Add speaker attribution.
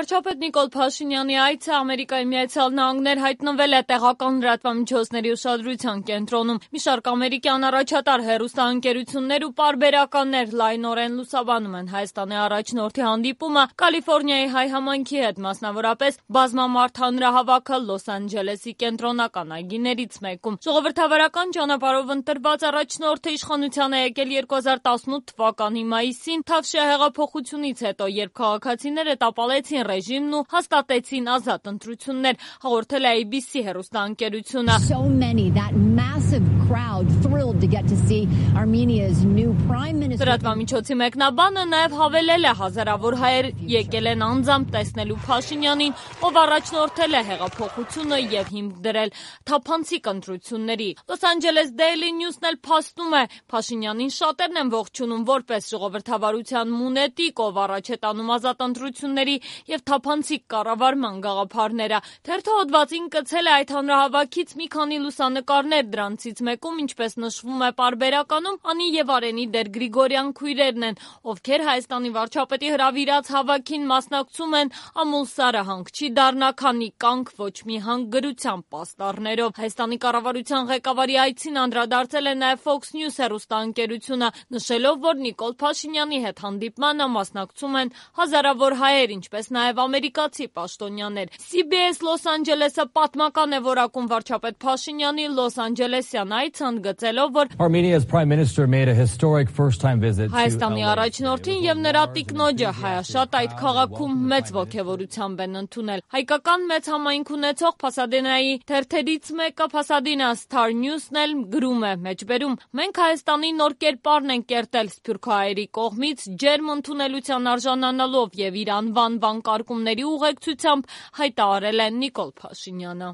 Speaker 1: Վարչապետ Նիկոլ Փաշինյանի այցը Ամերիկայի Միացյալ Նահանգներ հայտնվել է տեղական լրատվամիջոցների ուշադրության կենտրոնում։ Մի շարք ամերիկյան առաջատար հեռուստաընկերություններ ու պարբերականներ լայնորեն լուսաբանում են Հայաստանի առաջնորդի հանդիպումը Կալիֆոռնիայի հայ համայնքի հետ, մասնավորապես բազմամարդ հանրահավաքը Լոս Անջելեսի կենտրոնական այգիներից մեկում։ Ժողովրդավարական ճանապարհով ընտրված առաջնորդը իշխանության է եկել 2018 թվականի մայիսին Թավշյա հեղափոխությունից հետո, երբ քաղաքացիները տապալեցին ռեժիմն ու հաստատեցին ազատ ընտրություններ, հաղորդել է ABC հեռուստաընկերությունը։ Լրատվամիջոցի մեկնաբանը նաև հավելել է հազարավոր հայեր եկել են անձամբ տեսնելու Փաշինյանին, ով առաջնորդել է հեղափոխությունը եւ հիմք դրել թափանցիկ ընտրությունների։ Լոս Անջելես Daily News-ն էլ փաստում է, Փաշինյանին շատերն են ողջունում որպես ժողովրդավարության մունետիկ, ով առաջ է տանում ազատ ընտրությունների եւ թափանցիկ կառավարման գաղափարները։ Թերթը հոդվածին կցել է այդ հանրահավաքից մի քանի լուսանկարներ, դրանցից մեկում, ինչպես նշվում է պարբերականում, Անի եւ Արենի Դեր Գրիգորյան քույրերն են, ովքեր Հայաստանի վարչապետի հրավիրած հավաքին մասնակցում են ամուլսարը հանք չի դառնա, քանի կանք ոչ մի հանք գրության պաստառներով։ Հայաստանի կառավարության ղեկավարի այցին անդրադարձել է նաեւ Fox News հեռուստաընկերությունը, նշելով, որ Նիկոլ Փաշինյանի հետ հանդիպմանը մասնակցում են հազարավոր հայեր, ինչպես նաև ամերիկացի պաշտոնյաներ։ CBS Լոս Անջելեսը պատմական է որակում վարչապետ Փաշինյանի Լոս Անջելեսյան այցը, ընդգծելով, որ Հայաստանի առաջնորդին եւ նրա տիկնոջը հայաշատ այդ քաղաքում մեծ ոգևորությամբ են ընդունել։ Հայկական մեծ համայնք ունեցող Փասադենայի թերթերից մեկը Pasadena Star News-ն էլ գրում է մեջբերում. մենք Հայաստանի նոր կերպարն են կերտել սփյուռքահայերի կողմից ջերմ ընդունելության արժանանալով եւ իր անվան վանկարկումների ուղեկցությամբ հայտարարել է Նիկոլ Փաշինյանը։